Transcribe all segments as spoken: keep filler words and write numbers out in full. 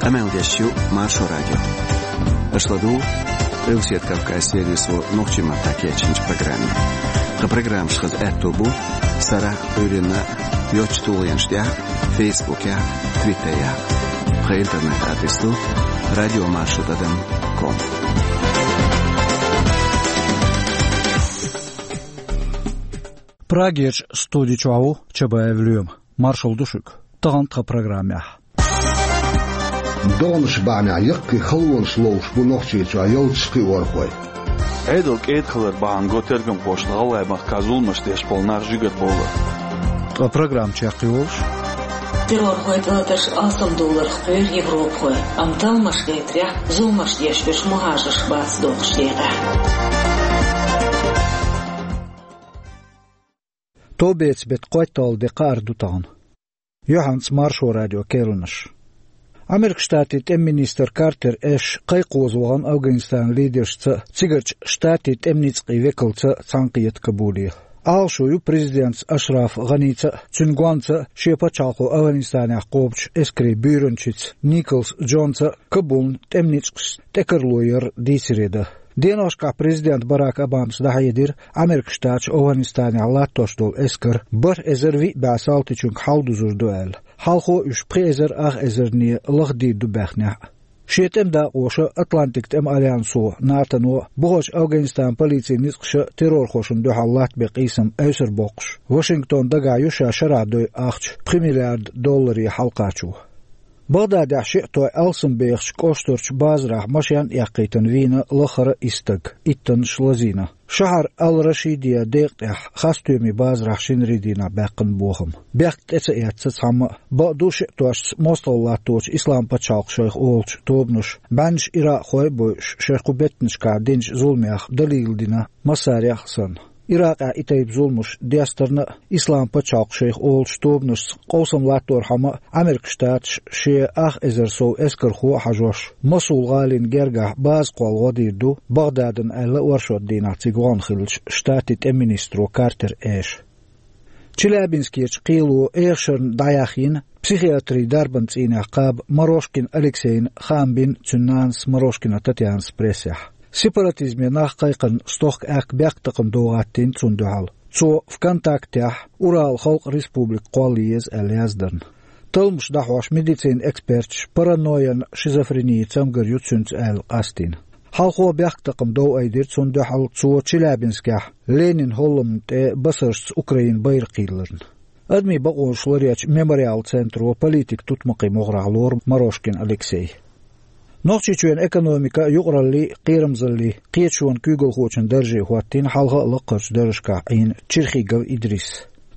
Къамел деш ю Маршо радио. Аша ладугӀу Къилбаседа Кавказан сервисо нохчийн маттахь кечйинчу программе. Тхан программаш хаза аьтто бу сарахь а, Ӏуьйранна а йоцачу тулгӀенаш тӀехь а, Фейсбукехь а, Твиттерехь а. Тхан интернет-адрес ду радиомаршо тӀадам ком. Прагерчу студи чохь ву Чабаев Лоьма. Маршалла ду шуьга. Тахана тхан программехь: догӀанаш бахьанехь яккхий халонаш ловш бу Нохчийчохь ялташ кхиорхой. Ӏедал кӀеда хилар бахьана го тергамхошна ГӀалгӀай махкахь зуламаш деш болу нах жигара бовлар. Ткъа программа чекхйолуш: террорхойн тӀелатарш алсамдовларх кхоьру европахой, амма талламаш гайтарехь зуламаш деш берш мухӀажарш бац дохучу декъехь. Товбецан беттан кхойтталгӀа де кхаара ду тахана. Юьхьанца Маршо радион керланаш. Американ Штатийн тӀеман министр Картер Эш кхайкхаза вахана Афганистанан лидершца а, цигарчу Штатийн тӀеман ницкъийн векалца а цхьаьнакхета Кабуле. Ӏалашо ю президентаца Ашраф ГӀаница а, цуьнан гонца а, шен пачхьалкхо Афганистанехь кхобучу эскарийн буьйранчица Николс Джонца а Кабулна тӀеман ницкъашца тӀекарло яр дийцире дан. Деношкахь президента Барак Обамас дӀахьедира, Американ Штаташ Афганистанехь латтош долу эскар бархӀ эзар виъ бӀе салтичуьнга хьалдузур ду аьлла. Хьалхо уьш пхи эзар ах эзарне лахдийр ду баьхнехь а. Шен тӀеман дакъоша, Атлантикан тӀеман альянсо, НАТО-но, бухарчу Афганистанан полицин ницкъаша террорхошна дуьхьал латтабен къийсам эвсар боккхуш, Вашингтон дагахь ю ша шарахь дойу ахча пхи миллиард долларе хьалакхачо. Багъдадехь шиъ той алсамбехачу кӀоштарчу базарахь машен а эккхийтина вийна лаххара а исс стаг, иттаннаш лазийна. Шахьар Ал-Рашидия декъа тӀехь хасстоьмийн базарахь шинарийн дийнахь баьккхина бохам. Бехк тӀе ца эцна цхьамма а, бакъду шиъ тошца мостагӀалла латточу Ислам-пачхьалкх шайх олучу тобанаша, бӀеннаш иракъхой а бойуш, шайн кху беттанашкахь динчу зуламех далийла дина массарех а санна. Иракъехь и тайпа зуламаш дестарна а, Ислам-пачхьалкх шайх олучу тобанашца къовсам латторхьама а, Американ Штаташ шен ах эзар сов эскархо а хьажош, Мосул-гӀалин гергахь база кхолла гӀо дийр ду Багъдадана аьлла оршот дийнахь цига вахана хиллачу Штатийн тӀеман министро Картер Эша. Челябинскерчу кхело эхашарна дӀаяхйина психиатрийн дарбан цӀийнехь кхаба Морошкин Алексейна хаам бина цуьнан нанас Морошкина Татьянас прессехь. Сепаратизме нах кхайкхарна стохка аьхка бехктакхамдов гӀаттийна цунна дуьхьал. Цо ВКонтактехь Урал халкъ республика кхолла еза аьлла яздарна. Талламаш дӀахьош медицинан эксперташа паранойян шизофренин цамгар ю цуьнца аьлла къастийна. Хьалхо бехктакхамдов айдира цунна дуьхьал цо Челябинскехь Ленинан хӀолламна тӀе басаршца Украинан байракх йилларна. Адамийн бакъонаш ларъечу Мемориал центро политикан тутмакхийн могӀарехь лору Морошкин Алексей. Нохчийчоьнан экономика юкъараллин а, кхерамзаллин а кхеташонан куьйгалхочун дарже хӀоттийна хьалха а лакхарчу даржашкахь Ӏийна Черхигов Идрис.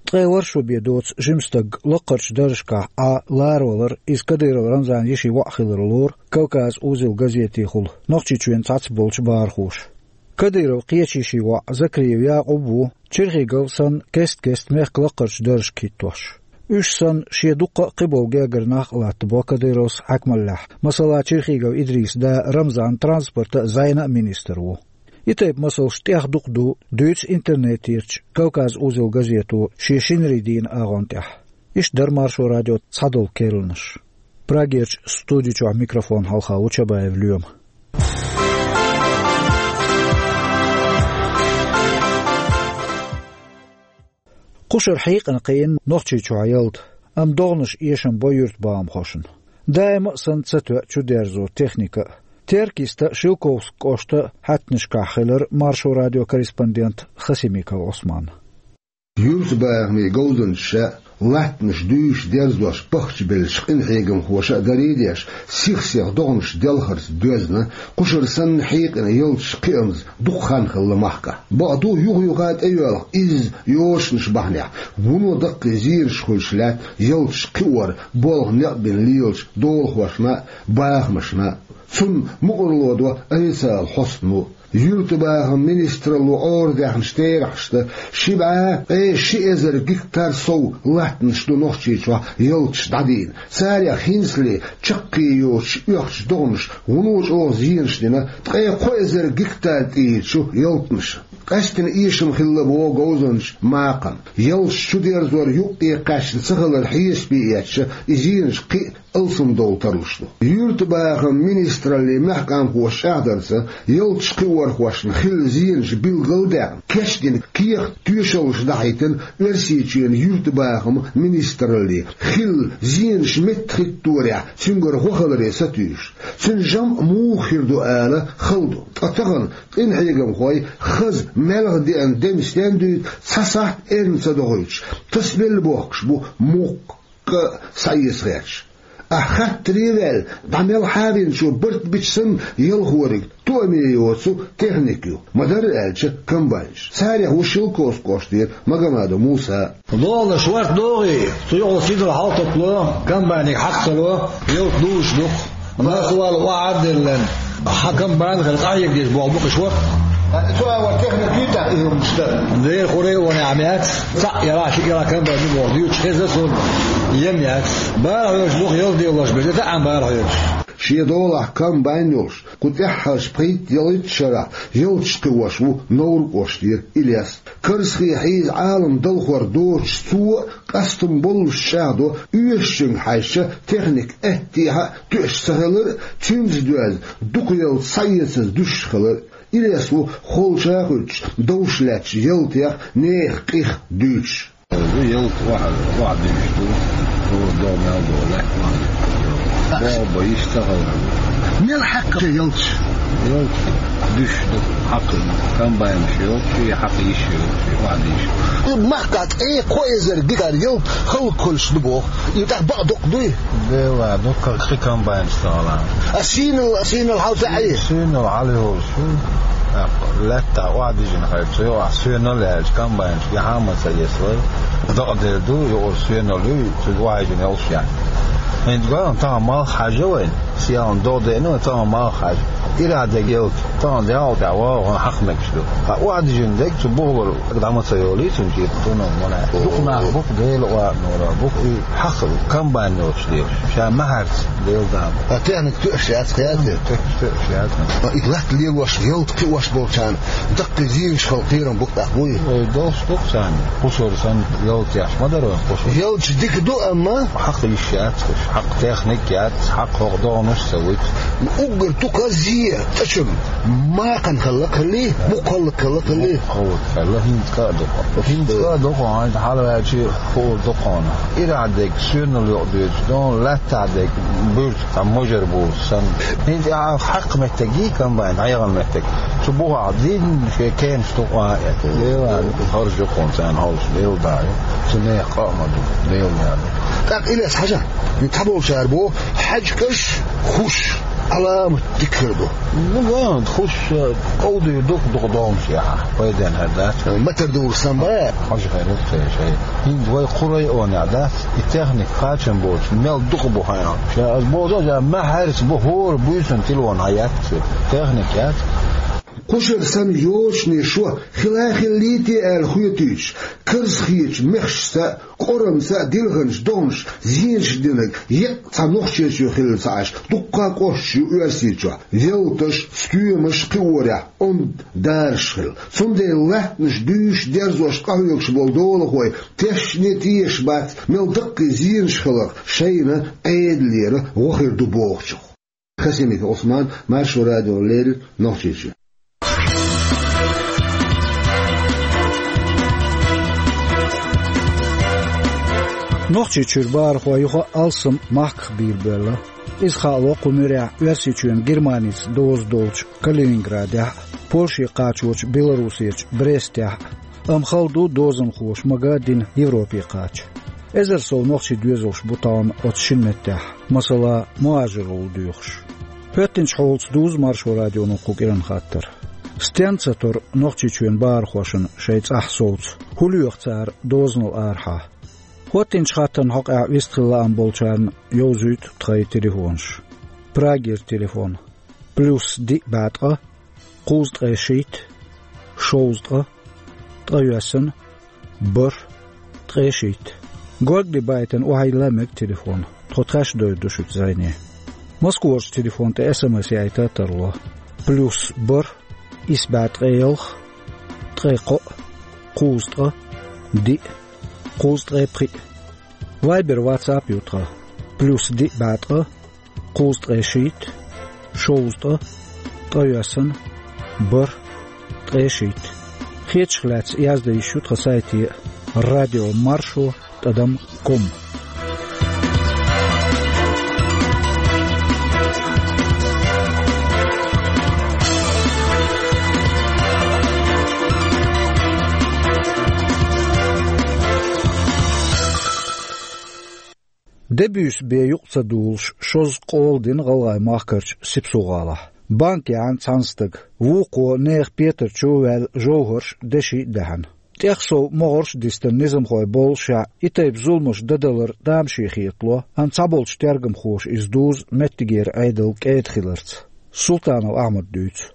Ткъе ворхӀ шо бен доцу жима стаг лакхарчу даржашкахь Ӏан ларавалар иза Кадыров Рамзанан йишин воӀ хилар лору «Кавказ-Узел» газетехула Нохчийчоьнан цхьацца болчу бахархоша. Кадыровн кхечу йишин воӀ Закриев Якъуб ву Черхигов санна кест-кеста мехкан лакхарчу даржашка хӀиттош. Уьш санна, шен дуккха а кхиболу гергара нах а латтабо Кадыровс хьаькамаллехь. Масала, Черхигов Идрисан да Рамзан транспортан а, зӀенан а министр ву. И тайпа масалш тӀех дукха ду, дуьйцу интернетерчу «Кавказ-Узел» газето шен шинарийн дийнан агӀон тӀехь. Иштта дара Маршо радион цхьадолу керланаш. Прагерчу студи чохь микрофон хьалха ву Чабаев Лоьма. Кхушара хьийкъина кхиъна Нохчийчохь ялта, амма догӀанаш эшам бо юьртбахамхошна. Даима а санна ца тоьа чудерзо техника а. Теркйиста, Шелковски кӀоштан хьаьттанашкахь хилира Маршо радион корреспондент Хасимиков Ӏусман. Юьртабахамийн говзанчаша а, латтанаш дуьйш дерзош пахчабеллачу къинхьегамхоша а дарий а деш, сих-сиха догӀанаш делхарца доьзна, кхушара санна хьийкъина ялташ кхиамза дукха хан хилла махкахь. Бакъду, юха-юха тӀейоьлху изза йозанаш бахьанехь, вуно даккхий зераш хуьлуш лаьтта ялташ кхиор болх некъ бина лелачу долахошна а, бахамашна а. Цунна мукъарло до официалан хьостано. Юьртабахаман министралло Ӏорадаьхначу терахьашца, ши бӀе ткъе ши эзар гектар сов латтанаш ду Нохчийчохь ялташ дӀадийна. Царех хӀинцале чаккхе йоцуш оьхучу догӀанаша вуно чӀогӀа зенаш дина, ткъе кхо эзар гектар тӀера ю ялтанаш. Къаьстина эшам хилла боху говзанчу Макхана. Ялташ чудерзор юккъе кхаьчна ца хилар хьесапе эцча, и зенаш кхин а алсамдовла тарлуш ду. Юьртабахаман министраллин мехкамхоша чӀагӀдарца, ялташ кхиорхошна хилла зенаш билгал а даьккхина, кечдина кехат-тоьшаллаш дахьийтина Оьрсийчоьнан юьртабахаман министраллин. Хилла зенаш меттахӀитторехь цуьнгара гӀо хиларе сатуьйсуш, цуьнан жамӀ муха хир ду ала хала ду. Ткъа тахана къинхьегамхой хаза маьлха деана дем стен дуьйцу цхьа сахьт эрна ца дохуьйтуш, тасабелла бохкуш бу, муккха а схьаэца хеташ. Ахь хаттаре а ваьлла, дӀа мел хьавинчо барт бича санна, ялхориг тоаме йоцу техника ю, ма-дарра аьлча, комбайнаш. Царех ву Шелковски кӀоштара Магомадов Муса. Лолаш варт догӀий, цу йогӀу сидал хьалтокло, комбайниг хьакхало, ялта дузуш ду-кх. Нах вала охьа а деллан, хьан комбайн хир къахьегадеш болу бу-кх иш варт. Цу а варт техника юьйтахь и хӀуманаш дан. Дера хуре а ван яхьа меца, цхьаъ яра, ши яра комбайн ду боху дуьйцуш хеза суна, ем яц. Бара хьоьжуш ду-кх ялта делош бен, таӀам бара хьоьжуш. Шен долахь комбайн йолуш, кху тӀаьххьарчу пхийтта-ялхитта шарахь ялташ кхиош ву Невран кӀоштара Илес. Карзахе хьийза Ӏалам далхор доцуш, цо а къастам боллуш чӀагӀдо, оьшучуьнга хьаьжча, техника аьттехьа а тоьаш ца хилар а, цуьнца доьзна дукха ялта схьаэцаза дуьсуш хилар а. Илес ву холча а хуьттуш, довш лаьтташ ялтех, нехан къих дуьйцуш. Ву ялта охьа, охьа дуьйцуш ду, хӀора догӀу мел долу лаьтта охьа дуьйцуш ду. Боху бан йиш ца хала. Мел хьаькхна ялташ? Ялта дуьсуш ду, хьакха комбайнаш йолчу, хьакха йиш йолчу, охьа дуьйцуш. И махкахь цӀе кхо эзар гектар ялта хала коллуш ду боху. И тӀаккха бакъ доккха дуй? Дела, дуккха кхин комбайнаш ца хилахь. А сийнал, сийнал хьал ца Ӏий? Сийнал хьал йолуш ю. ТӀаккха лаьттахь охьадижина хилча, юкъахь соьнал яьлча, комбайнаш яхьа а ма ца эцалой. Дакъа дер ду, юкъара соьнал ю, цуьнга охьайижина йолуш яц. ХӀинца гой, тахана малх хьажа вайн, сиалан догӀу деана, тахана малх хьажа. Ирахь дерг ялта, тахана дегӀал тӀехь вогӀу хьакха мегаш ду. Ткъа охьадижина дерг цу бухалара дӀа ма ца йолий, цуьнан кепа тунал ма лаьа. Дукха нах бу-кх, Дела къахьоьгура бу-кх, и хьакха комбайн йоцуш лелаш. Ша маьхьарца, Дела дама. А техника тоьаш яц, кхета? Техника тоьаш яц. А и латта лелош, ялта кхиош болчарна даккхий зенаш хила кхерам бу-кх тӀаккха, вуй? Ой, долуш ду-кх царна. Кхушара санна ялта еш ма дара вайн, кхушара. Ялташ дика ду, амма хьакха йиш яц уьш, хьакха техника яц, хьакха хӀокху догӀанаш а ца вуьту. Уггар тукха зе, цӀа чу Макхана хилла-кх хилий, мукха хилла-кх хилий? Мукха хилла-кх хилла, хӀинца кӀа а ду-кх. ХӀинца кӀа а ду-кх, хьайна хьалаваьлчи хуур ду-кх хьуна. Ирахь дерг соьнал юкъа дуьйцу, дона лаьттахь дерг буьрса цхьа можар буьрса санна. ХӀинца ахьа хьакха меттиг йий комбайн, хьегӀан меттиг. Цу бухахь дийна шен кенаш ду-кх а эцна. Дела, харж ю-кх хьуна царна хьовсуш, Дела дӀа ю. Цу нехан къа а ма ду, Дела дӀа ду. ТӀаккха Илес хьажа, цхьаболчара боху, хьаьжкӀаш, хӀуш, Ӏаламат дика хир ду. Ну, ван, хӀуш, э, къовдийр ду-кх дукха догӀмаш яхьа, пайденна хӀара дац. Матар дуру сан бан? Хьажа хир ду-кх церан шайн. ХӀинца вай кху районехь дац, и техника кхачам боцуш, мел дукха бу хьайна. Ша ас боху, ша маьхьарца бу, хӀора буьйсанна телефон хьан яц, техника яц. Кхушара санна йочане шо хила а хиллий те аьлла хоьтуьйтуш, карзахечу мехашца а, кӀорамца а дилханчу догӀмашца зенаш динарг еккъа цхьа Нохчийчоь хилла ца Ӏаш, дуккха а кӀошташ ю Оьрсийчохь. Ялташ, стоьмаш кхиорехь онда дараш хилла. Цундела латтанаш дуьйш, дерзош къахьоьгуш болу долахой тешне тешаш бац, мел даккхий зенаш хиларх шайна Ӏедалера гӀо хир ду бохучух. Хасимиков Ӏусман, Маршо радиона леррина, Нохчийчоь. Нохчийчуьра бахархой юха а алссам махках бийр боьлла. Иза хаало кху муьрехь Оьрсийчоьнан Германица доза долчу Калининградехь а, Польше кхачочу Белоруссерчу Брестехь а, амма хала ду дозанхоша мага а дина Европе кхача. Эзар сов нохчий доьзалш бу тахана оцу шина меттехь, масала, мухӀажаралла доьхуш. ХӀоьттинчу хьолаца дузу Маршо радионо кху кӀиран хаттар. Стенна ца тора Нохчийчоьнан бахархошна шайн цӀахь совца? ХӀун лоьху цара дозанал арахьа? ХӀоьттинчу хаттарна хьокъехь вистхила лаам болчарна йовзуьйту тхайн телефонаш. Прагера телефон: плюс диъ бӀе ткъа, кхузткъе шийтта, шовзткъа, ткъайоьсна, бархӀ, ткъе шийтта. Горгали байтина охьайилла мега телефон. Тхо тхаьш довр ду шуьца зӀене. Москварчу телефон тӀе СМС яйта а тарло. Плюс бархӀ, исс бӀе ткъе ялх, ткъе кхоъ, кхузткъа, диъ, кхузткъе пхиъ. Вайбер, ватсап ю тхан: плюс диъ бӀе ткъа, кхузткъе шийтта, шовзткъа, ткъайоьсна, бархӀ, ткъе шийтта. Хеташ хилаьцна яздан йиш ю тхан сайте: радио маршо тӀадам ком. Де буьйса бен юкъ ца дуллуш, шозза къола дина ГӀалгӀай-Махкарчу Сипсо-ГӀалахь. Банка яьхьна цхьана стага, вукхо нехан петар чу а ваьлла, жовхӀарш, деши а даьхьна. ТӀехсов могӀарш а дистина низамхой боллушехь, и тайпа зуламаш дан далар тамаше хетало, амма цхьаболчу тергамхоша иза дузу меттигера Ӏедал кӀеда хиларца. Султанов Ахьмада дуьйцу.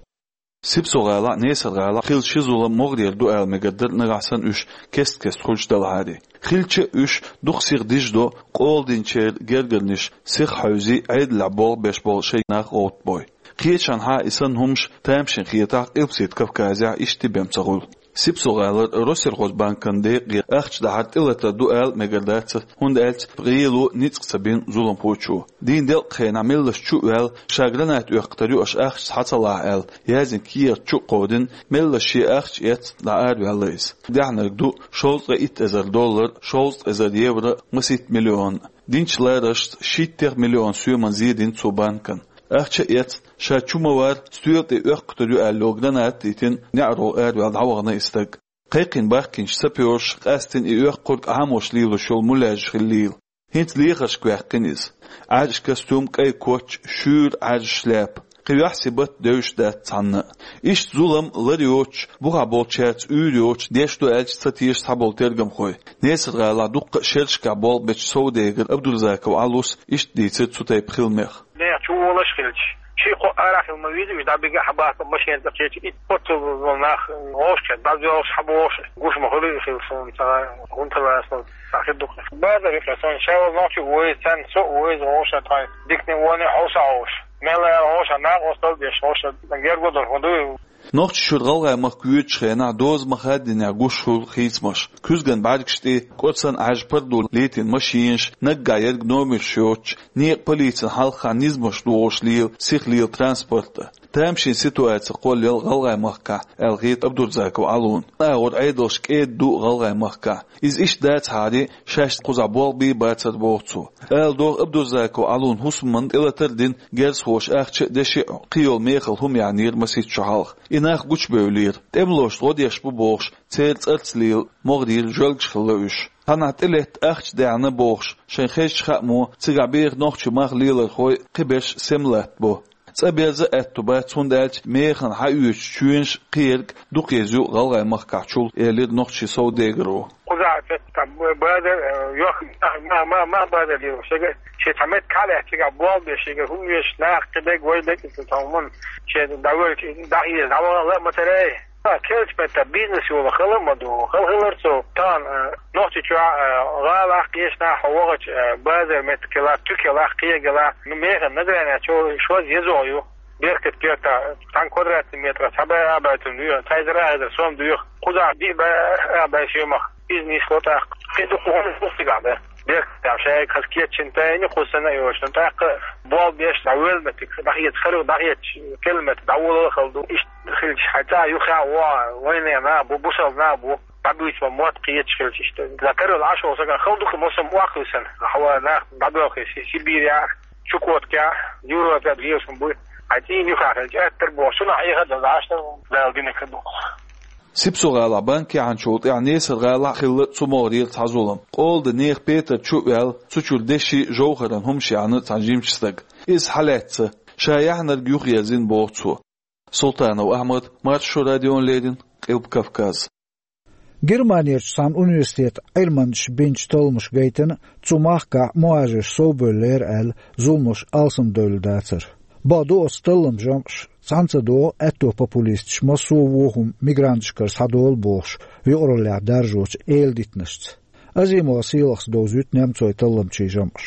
Сипсо-ГӀалахь а, Несар-ГӀалахь а хилла ши зулам могӀарера ду ала мегар дара, нагахь санна уьш кест-кеста хуьлуш далахьара. Хилча а уьш дукха сиха дижадо, къола динчеран гергарнаш сиха хьовзий, Ӏедалехь болх беш болу шайн нах гӀовттабой. Кхечанхьа и санна хӀумаш тамашийна хетахь, Къилбаседа Кавказехь иштта бен ца хуьлу. Сипсо-ГӀалара Россельхозбанкан декъе ахча дахьар тӀелатар ду ала мегар дац, хӀунда аьлча гӀело ницкъ ца бина зуламхочо. Дийнан делкъа хенахь меллаша чу а ваьлла, ша гранат оьккхур ю, аша ахча схьа ца лахь аьлла, яздина кехат чу а кховдийна, меллаша шен ахча эцна дӀаараваьлла иза. Даьхьнарг ду шовзткъе итт эзар доллар, шовзткъа эзар евро, масийтта миллион. Динчу лараршца шийттех миллион соьман зен дина цо банкана. Ахча а эцна, ша чу ма вара, стоьла тӀе оьккхур ю аьлла гранат а йитина, неӀаро араваьлла дӀавахана и стаг. Кхайкхийна бахкийначу сапёраша къаьстина и оьккхург Ӏамош лелош йолу муьлхача хиллийла. ХӀинца лехаршка ваьккхина иза. Ӏаьржа костюм, кӀайн коч, шуьйра Ӏаьржа шляпа. Кхин юьхь-сибат девзаш дац цхьанна а. Иштта зулам лар йоцуш, бухахь болчаьрца уьйр йоцуш, деш ду аьлча ца теша цхьаболу тергамхой. Несар-ГӀалахь дуккха а шерашкахь болх бечу совдегара Абдурзаков Ӏалас иштта дийцира цу тайпа хиламех. Нехан чу волуш а хилча, ши-кхо арахь хила ма веза, уьш дӀабига а, хьабаха а машена тӀе кхеча, и оццул нах вовшахкхетта, дӀадоьлхуш, хьабохуш гуш ма хуьлу, хила суна ца гӀунталаца хир ду-кх. Базар юкъа сан ша волу нохчи а вовза, царна со а вовза, вовшах тхайн дикане а, воне а хьовса а вовш. Мел а вовшах накъосталла а деш, вовшах герга а долуш ма дуй. Нохчийчуьра ГӀалгӀай-Махка воьдучу хенахь доза ма-хаъара динехь гуш хуьлу хийцамаш. Куьзган бӀаьргаш тӀе кӀорсан Ӏаьржа пардо летийна машинаш, наггахь ерг номерш йоцуш, некъан полицин хьалхахь низамаш дохуш лела, сиха лела транспорт а. Тамашийна ситуаци кхоллаелла ГӀалгӀай-Махкахь, аьлла хета Абдурзаков Ӏалона. Агӏор Ӏедалш кӀеда ду ГӀалгӀай-Махкахь. Иза иштта дацахьара, шаьш кхузахь болх бий бацара боху цо. Ала догӀу, Абдурзаков Ӏалона хӀусамна тӀелатар а дина, герзахоша ахча а, деши а, кхин йолу мехала хӀума яьхьнера масийтта шо хьалха. И нах гучубевллера. ТӀемалошна гӀо деш бу бохуш, церан цӀарца лела, могӀарера жоьлгаш хилла уьш. Цхьанхьа тӀелетта ахча даьхьна бохуш, шайн хезачу хаамаша, цигахь беха нохчийн мах лелорхой кхиберш сема латтабо. ЦӀа берза а аьтту бац, хӀунда аьлча механа хьаоьцучу чоьнаш кхин ерг дукха еза ю ГӀалгӀай-Махкахь чул, элира нохчийн совдегаро. Кхузахь цхьа базар, э, йохк, ма-, ма-, ма-, ма базар йо, шега, шен цхьа меттиг хьалаьцна, цигахь болх беш, шега хӀума веш нах кхин берг вай декъаза тхуна, шен дӀавоьлча, дӀахьежа, дӀавахана ла а ма ца рей. А, кхечу меттехь бизнес йолу хала а ма ду, хала хилар цо. Тахана, э, Нохчийчохь, э, гӀалахь, кхечанхьа хьо вахча, э, базар меттиг хилахь, туька хилахь, кхин ерг хилахь, ну, механа Награни чу шозза еза ю. Беркат керта, цхьана квадратный метра цхьа бӀе арбаьттан дуьйху, цхьа эзар, арахь эзар сом дуьйху. Кхузахь диъ бӀе арбаьтта сомах иза нисло тӀаккха. Кхин дукха хӀума ду цигахь бен. Беркат тӀехь шайга хаза кечйина тайна, кхуза санна а йоцуш, тӀаккха болх беш дӀавоьлла меттиг, дӀахеца хӀара, дӀахецча километр дӀаволла а хала ду. Иштта хилча, хьайн цӀа юххе а вогӀу, вайнехан нах бу, бусалба нах бу, дӀабуьйцу ма мотт кхеташ хилча иштта. Закарал Ӏаш волу сагана хала ду-кх, мосамма охьахуьйсана, хьо нах дӀабоьлхий Си-, Сибирехь, Чукоткехь, Европехь лелаш буй. Хьайн цӀийнан юххе хилча, аттар боху, цунах Ӏехар а дан Ӏаш дан, Дала динарг хир ду-кх. Сипсо-ГӀалахь банк яьхьначул тӀаьхьа Несар-ГӀалахь а хилла цу могӀарера цхьа зулам. Къола де нехан петар чу а ваьлла, цу чуьра деши, жовхӀаран хӀумаш яьхьна цхьана жимачу стага. Иза хьалаьцна, ша яьхьнарг юхаерзийна боху цо. Султанов Ахьмад, Маршо радиона леррина, Къилба Кавказ. Германерчу цхьана университетан Ӏилманчаша бинчу талламаша гайтина, цу махкахь мухӀажарш совбевллера аьлла, зуламаш алсамдевлла дацара. Бакъду, оцу талламан жамӀаша цхьаьна ца догӀу аьтто популисташ массо а вон хӀума мигранташкара схьадолу бохуш, юкъараллехь даржочу эладитанашца. Азимова Сийлахьас довзуьйту немцойн талламчийн жамӀаш.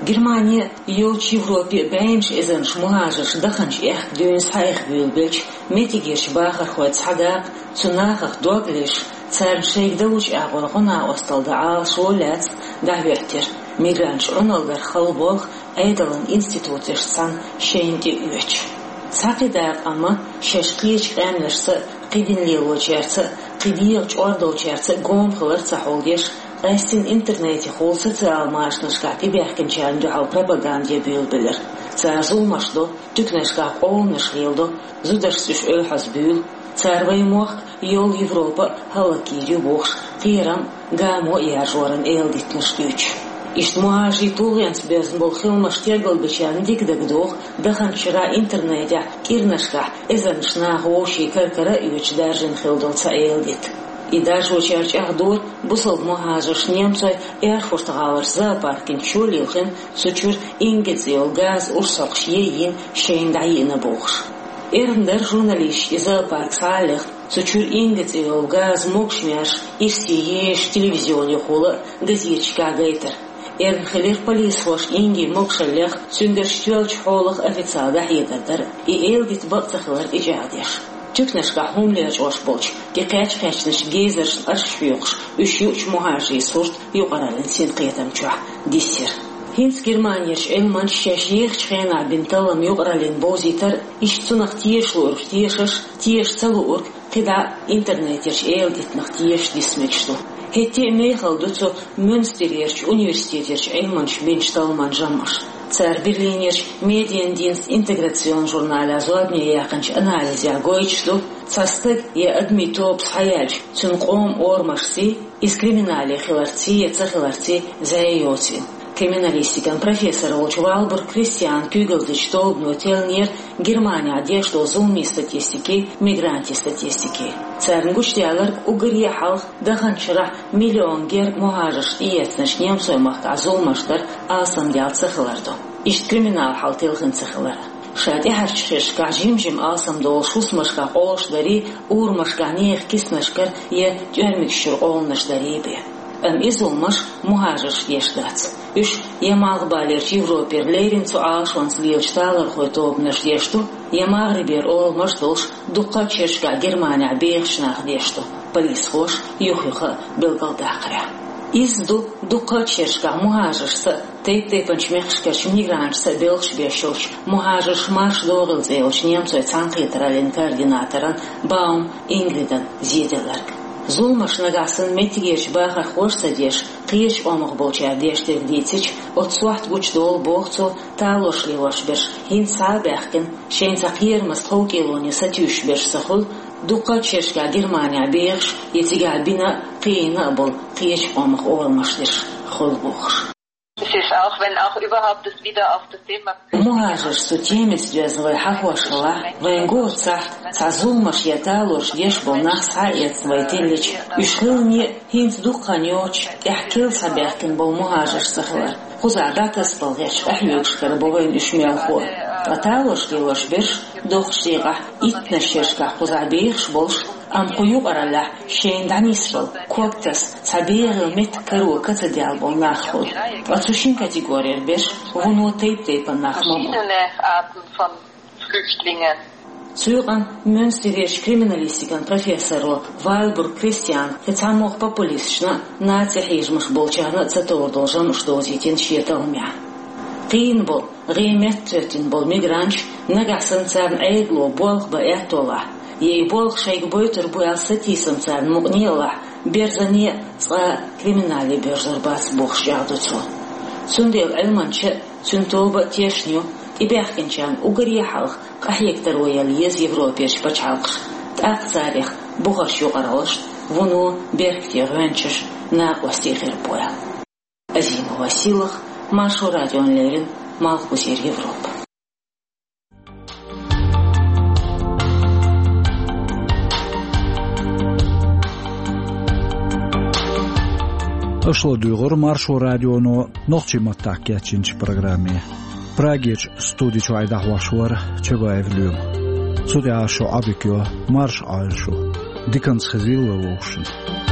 Германе а, йолчу Европе а бӀеннаш эзарнаш мухӀажарш даханчу аьхка дуьйна схьаэха буьйлабелча, меттигерчу бахархойн цхьа дакъа цу нахах дог леш, царна шайга далучу агӀор гӀо-накъосталла дан Ӏалашо лаьцна дӀахӀоьттира, мигранташ Ӏуналла дар хала болх Ӏедалан институташца цхьаьна шайна тӀе а оьцуш. Цхьа кхин дакъа амма шаьш кхечу къаьмнашца а, кхидӀа лелочаьрца а, кхин дегӀан чӀор долчаьрца а гома хилар ца хьулдеш, къаьстина интернетехула социал машанашкахь тӀебаьхкинчарна дуьхьал пропаганде буьйлабелира. Цара зуламаш до, туьканашкахь къоланаш леладо, зударшца уьш оьлхьазбуьйлу, цара вайн мохк а, йолу Европа а хӀаллакйийр ю бохуш, кхерам а, гамо а яржоран эладитанаш дуьйцуш. Иштта мухӀажарийн тулгӀенца боьзна болу хиламаш тергалбечарна дика дагадогӀу, даханчу шарахь интернетехь кӀирнашкахь эзарнаш наха вовшийн кар-кара а оьцуш даржийна хилла долу цхьа эладита. И даржочара чӀагӀдора, бусалба мухӀажарш немцойн Эрфурт-гӀаларчу зоопаркана чу лилхина, цу чуьра Инга цӀе йолу газан урс хьокхуш яйина, шайна дӀайиъна бохуш. Эрна дара журналисташна и зоопарк схьа а лехна, цу чуьра Инга цӀе йолу газан могуш маьрша ирсе езаш телевизионехула а, газеташкахь гайтар. Эрна хилира полисхоша Ингин могушаллех, цуьнгарш тоьллачу хьолах официалан дӀахьедар дар. И эладита бакъ ца хилар тӀечӀагӀдеш. Туьканашкахь хӀума лечкъош болчу, тӀекхаьчна-кхаьчначу гейзершна арш хьоькхуш, уьш юучу мухӀажарийн сурт юкъараллин синкхетам чохь дисира. ХӀинца Германерчу Ӏилманчаша шаьш ехачу хенахь бина таллам юкъараллин бовзийтар, иштта цунах теша луург тешаш, теша ца луург кхидӀа интернетерчу эладитанах тешаш диса мегаш ду. ХӀетте а мехала ду цу Мюнстерерчу университетерчу Ӏилманчаша бинчу талламан жамӀаш. Цара Берлинерчу Mediendienst интеграционан журналехь зорбане яьккхинчу анализехь гойтуш ду, цхьа стаг я адамийн тоба схьаяьлча, цуьнан къоман орамашций, иза криминале хиларций я ца хиларций зӀе йоцийла. Криминалистикан профессор волчу Валбург Кристианан куьйгалла дечу тобано теллинера Германехь деш долу зуламийн статистикий, мигрантийн статистикий. Царна гучудаьлларг уггаре а хьалха даханчу шарахь миллион гергга мухӀажарш тӀеэцначу немцойн махкахь зуламаш дар алсамдаьлла ца хилар ду. Иштта криминалан хьал телхина ца хилар. Ша тӀаьхьарчу шерашкахь жим-жима алсамдолуш хӀусамашкахь къолаш дарий, урамашкахь нехан киснашкара я тӀоьрмигаш чуьра къоланаш дарий бен. Амма и зуламаш мухӀажаршна деш дац. Уьш я Малхбалерчу Европера леррина цу Ӏалашонца лелачу талорхойн тобанаш деш ду, я МагӀрибера оламаш долуш дуккхачу шерашкахь Германехь бехачу наха деш ду, полисхоша юх-юха а билгалдаккхарехь. Изза ду дуккхачу шерашкахь мухӀажаршца а, тайп-тайпанчу мехкашкарчу мигранташца а белхаш беш йолчу «МухӀажарш, марша догӀийла» цӀе йолчу немцойн цхьаьнакхетараллин координаторан Баум Ингридан зеделларг. Зуламаш нагахь санна меттигерчу бахархоша ца деш, кхечу къомах болчара деш дерг дийцича, оцу сохьта гучудолу, боху цо, талорш лелош берш хӀинца схьа а баьхкина, шайна цхьа кхерамаза тховкӀелоне сатуьйсуш берш ца хуьлу, дуккхачу шерашкахь Германехь бехаш я цигахь бина а, кхиийна а болу кхечу къомах орамаш дерш хуьлу бохуш. Es ist, auch wenn auch überhaupt das wieder auf das Thema МухӀажарш цу темица доьзна вай хьахош хилахь, вайна гур цахь цхьа зуламаш я талорш деш болу нах схьа а эцна вай тиллича, уьш хиларна а хӀинца дукха хан йоцуш, тӀехь кел схьабаьхкина болу мухӀажарш ца хилар, кхузахь дӀатасабала гӀерташ къахьоьгуш хир бу вайна уьш мелхо. Ткъа талорш лелош берш, доккхачу декъехь иттаннаш шерашкахь кхузахь бехаш болуш, амма кху юкъараллехь шайна дӀанисбала, ког таса, цхьа бегӀийла меттиг каро кацадаьлла болу нах хуьлу. Ткъа цу шина категорера берш вуно тайп-тайпана нах ма бу. Verschiedene Arten von Flüchtlingen. Цу юкъана Мюнстерерчу криминалистикан профессоро Валбург Кристиана кхин цхьамогӀа популисташна а, наци хьежамаш болчарна а ца товр долу жамӀаш довзийтина шен талламехь. Кхиийна болу, гӀен меттахӀоьттина болу мигранташ, нагахь санна царна Ӏедало болх бан аьтто лахь, я и болх шайга бойтур бу аьлла сатийсам царна мукъане а лахь, берзане а, цкъа а криминале боьрзур бац бохуш чӀагӀдо цо. Цундела Ӏилманча а, цуьнан тоба а тешна ю, тӀебаьхкинчарна уггаре а хьалха къахьега таро яла еза Европерчу пачхьалкхаша, тӀаккха царех бухарчу юкъараллашна, вуно беркате гӀоьнчаш, накъостий хир бу аьлла. Азимова Силах, Маршо радиона леррина, Малхбузера Европа. Аша ладуьйгӀура Маршо радионо нохчийн маттахь кечйинчу программе. Прагерчу студи чуьра дӀахьош вара Чабаев Лоьма. Цу тӀехь шу Ӏодика йо, марша Ӏойла шу. Диканца хезийла вай вовшашна.